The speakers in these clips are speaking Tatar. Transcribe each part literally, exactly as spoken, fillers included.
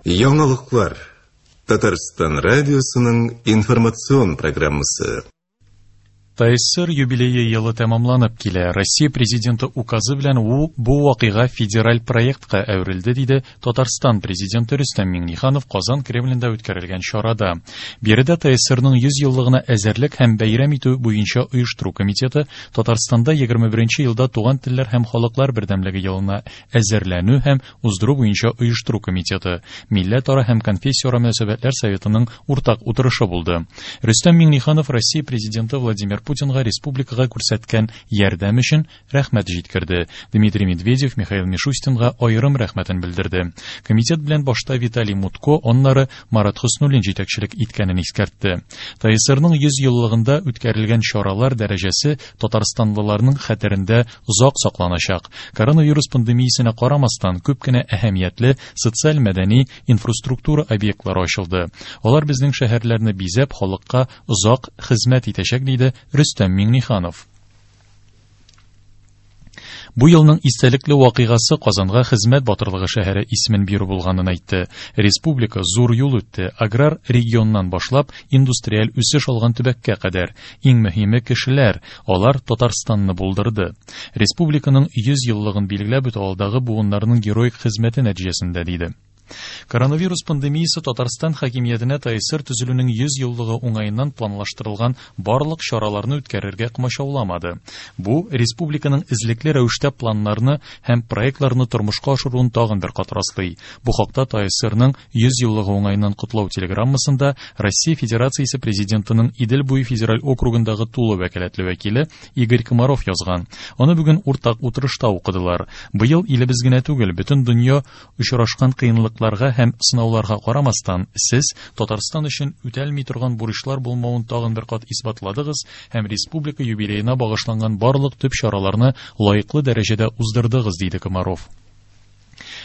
Яңалыклар. Татарстан радиосының информацион программасы. ТАССР юбилее елы тәмамланып килә. Россия президенты указы белән ул бу вакыйга федераль проектка әверелде, диде Татарстан президенты Рөстәм Миңнеханов Казан Кремлендә үткәрелгән чарада. Биредә ТАССРның йөз еллыгына әзерлек һәм бәйрәм итү буенча оештыру комитеты Татарстанда егерме беренче елда туган телләр һәм халыклар бердәмлеге елына әзерләнү һәм уздыру буенча оештыру комитеты, милләтара һәм конфессияара мөнәсәбәтләр советының уртак утырышы булды. Рөстәм Миңнеханов Россия президенты Владимир Путинга республикага күрсәткән ярдәм өчен рәхмәт җиткерде. Дмитрий Медведев Михаил Мишустинга аерым рәхмәтен белдерде. Комитет белән башта Виталий Мутко, аннары Марат Хөснуллин җитәкчелек иткәнен искәртте. ТАССРның йөз еллыгында үткәрелгән чаралар дәрәҗәсе татарстанлыларның хәтерендә озак сакланачак. Коронавирус пандемиясенә карамастан күп кенә әһәмиятле социаль-мәдәни инфраструктура объектлары ачылды. Алар безнең шәһәрләрне бизәп, халыкка озак хезмәт итәчәк, диде Рөстәм Миңнеханов. Бу елның истәлекле вакыйгасы Казанга хезмәт батырлыгы шәһәре исемен бирү булганын әйтте. Республика зур юл үтте, аграр регионнан башлап индустриаль үсеш алган төбәккә кадәр. Иң мөһиме кешеләр, алар Татарстанны булдырды. Республиканың йөз еллыгын билгеләп үтү алдагы буыннарның героик хезмәте нәтиҗәсендә, диде. Коронавирус пандемиясе Татарстан хакимиятенә ТАССР төзелүнең йөз еллыгы уңаеннан планлаштырылган барлык чараларны үткәрергә комачауламады. Бу республиканың эзлекле рәвештә планнарны һәм проектларны тормышка ашыруын тагын бер кат раслый. Бу хакта ТАССРның йөз еллыгы уңаеннан котлау телеграммасында Россия Федерациясе президентының Идел буе федераль округындагы тулы вәкаләтле вәкиле Игорь Комаров язган. Аны бүген уртак утырышта укыдылар. Быел илебез генә түгел, бөтен дөнья очрашкан кыенлыклар һәм сынауларга карамастан, сез Татарстан өчен үтәлми торган бурычлар булмавын тагын бер кат исбатладыгыз һәм республика юбилеена багышланган барлык төп чараларны лаеклы дәрәҗәдә уздырдыгыз, диде Комаров.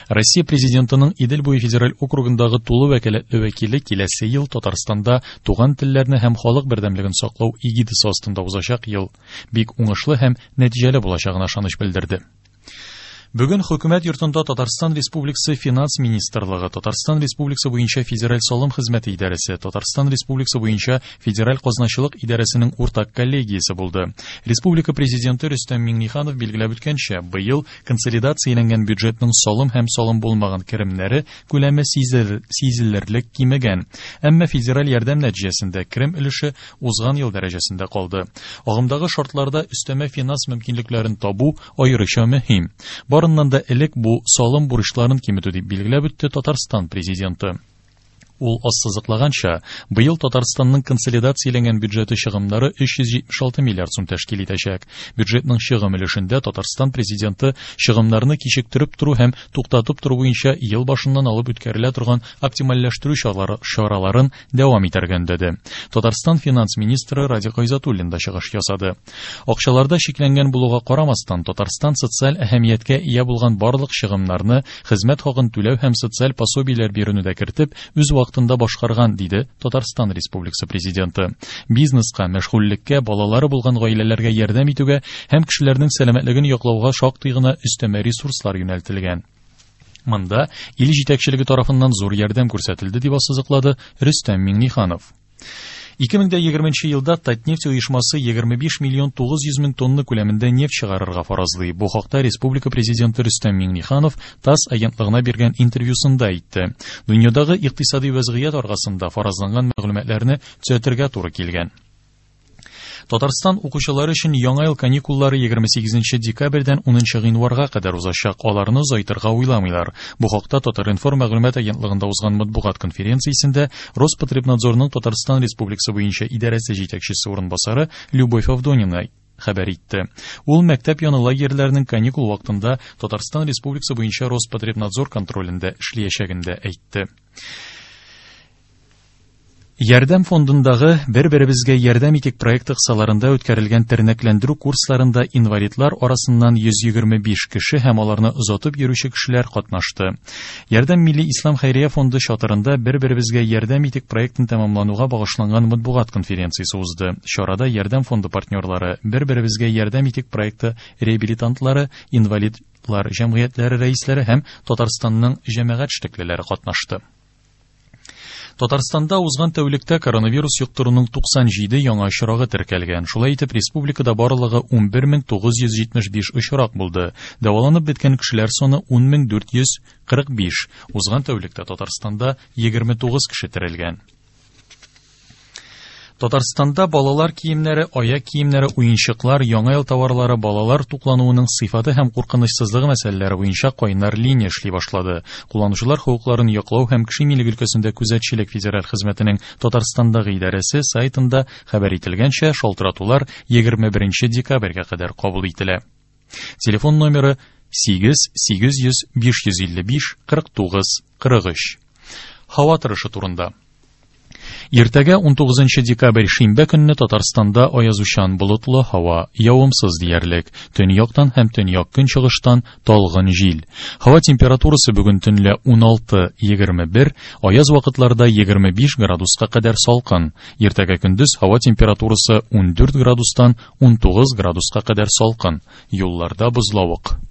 Россия президентының Идел буе федераль округындагы тулы вәкаләтле вәкиле киләсе ел Татарстанда туган телләрне һәм халык бердәмлеген саклау эгидасы астында узачак ел бик уңышлы һәм нәтиҗәле булачагына ышаныч белдерде. Бүген Хөкүмәт йортында Татарстан Республикасы Финанс Министрлыгы, Татарстан Республикасы буенча Федераль салым хезмәте идарәсе, Татарстан Республикасы буенча Федераль казначылык идарәсенең уртак коллегиясе булды. Республика президенты Рөстәм Миңнеханов билгеләп үткәнчә, быел консолидацияләнгән бюджетның салым һәм салым булмаган керемнәре күләме сизелерлек кимегән. Әмма федераль ярдәм нәтиҗәсендә керем өлеше узган ел дәрәҗәсендә калды. Агымдагы шартларда өстәмә финанс мөмкинлекләрен табу аеруча мөһим. Барыннан да элек бу салым бурычларын киметү дип билгеләп үтте Татарстан президенты. Ул ассызыклаганча, быел Татарстанның консолидацияләнгән бюджеты чыгымнары өч йөз җитмеш алты миллиард сум тәшкил итәчәк. Бюджетның чыгым өлешендә Татарстан президенты чыгымнарны кичектереп тору һәм туктатып тору буенча ел башыннан алып үткәрелә торган оптимальләштерү чараларын дәвам итәргә өндәде. Татарстан финанс министры Радик Гайзатуллин да чыгыш ясады. Акчаларда чикләнгән булуга карамастан, Татарстан социаль әһәмияткә ия булган барлык чыгымнарны, хезмәт хакын түләү һәм социаль пособиеләр бирүне дә кертеп, үз вакытында башкарган, диде Татарстан Республикасы президенты. Бизнеска, мәшгульлеккә, балалары булган гаиләләргә ярдәм итүгә һәм кешеләрнең сәламәтлеген яклауга шактый гына өстәмә ресурслар юнәлтелгән. Монда ил җитәкчелеге тарафыннан зур ярдәм күрсәтелде, дип ассызыклады Рөстәм Миңнеханов. Ике мең дә егерменче елда Татнефть оешмасы егерме биш миллион тугыз йөз мең тонна күләмендә нефть чыгарырга фаразлый. Бу хакта республика президенты Рөстәм Миңнеханов ТАСС агентлыгына биргән интервьюсында әйтте. Дөньядагы икътисади вәзгыять аркасында фаразланган мәгълүматларны төзәтергә туры килгән. Татарстан укучылары өчен яңа ел каникуллары егерме сигезенче декабрьдән унынчы гыйнварга кадәр узачак. Аларны озайтырга уйламыйлар. Бу хакта Татар-информ мәгълүмат агентлыгында узган матбугат конференциясендә Роспотребнадзорның Татарстан Республикасы буенча идарәсе җитәкчесе урынбасары Любовь Авдонина хәбәр итте. Ул мәктәп яны лагерьләренең каникул вакытында Татарстан Республикасы буенча Роспотребнадзор контролендә эшләячәген дә әйтте. Ярдәм фондындагы бер-беребезгә ярдәм итик проекты кысаларында үткәрелгән тернәкләндерү курсларында инвалидлар арасыннан йөз егерме биш кеше һәм аларны озатып йөрүче кешеләр катнашты. Ярдәм Милли Ислам Хәйрия фонды чатырында бер-беребезгә ярдәм итик проектын тәмамлануга багышланган матбугат конференциясе узды. Чарада Ярдәм фонды партнерлары, бер-беребезгә ярдәм итик проекты реабилитантлары, инвалидлар җәмгыятьләре рәисләре һәм Татарстанның җәмәгать эшлеклеләре катнашты. Татарстанда узган тәүлектә коронавирус йоктыруның туксан җиде яңа очрагы теркәлгән. Шулай итеп, республикада барлыгы ун бер мең тугыз йөз җитмеш биш очрак булды. Дәваланып беткән кешеләр саны ун мең дүрт йөз кырык биш. Узган тәүлектә Татарстанда егерме тугыз кеше терелгән. Татарстанда балалар киемнәре, аяк киемнәре, уенчыклар, яңа ел товарлары, балалар туклануының сыйфаты һәм куркынычсызлыгы мәсьәләләре буенча кайнар линия эшли башлады. Кулланучылар хокукларын яклау һәм кеше милеге өлкәсендә күзәтчелек федераль хезмәтенең Татарстандагы идарәсе сайтында хәбәр ителгәнчә, шалтыратулар егерме беренче декабрьгә кадәр кабул ителә. Телефон номеры сигез сигез йөз биш йөз илле биш кырык тугыз кырык өч. Һава торышы турында. Иртәгә ун тугызынчы декабрь шимбә көнне Татарстанда аязучан болытлы һава, явымсыз диярлек, төньяктан һәм төньяк көнчыгыштан талгын җил. Һава температурасы бүген төнлә ун алты егерме бер, аяз вакытларда егерме биш градуска кадәр салкын. Иртәгә көндез һава температурасы ун дүрт градустан ун тугыз градуска кадәр салкын. Юлларда бозлавык.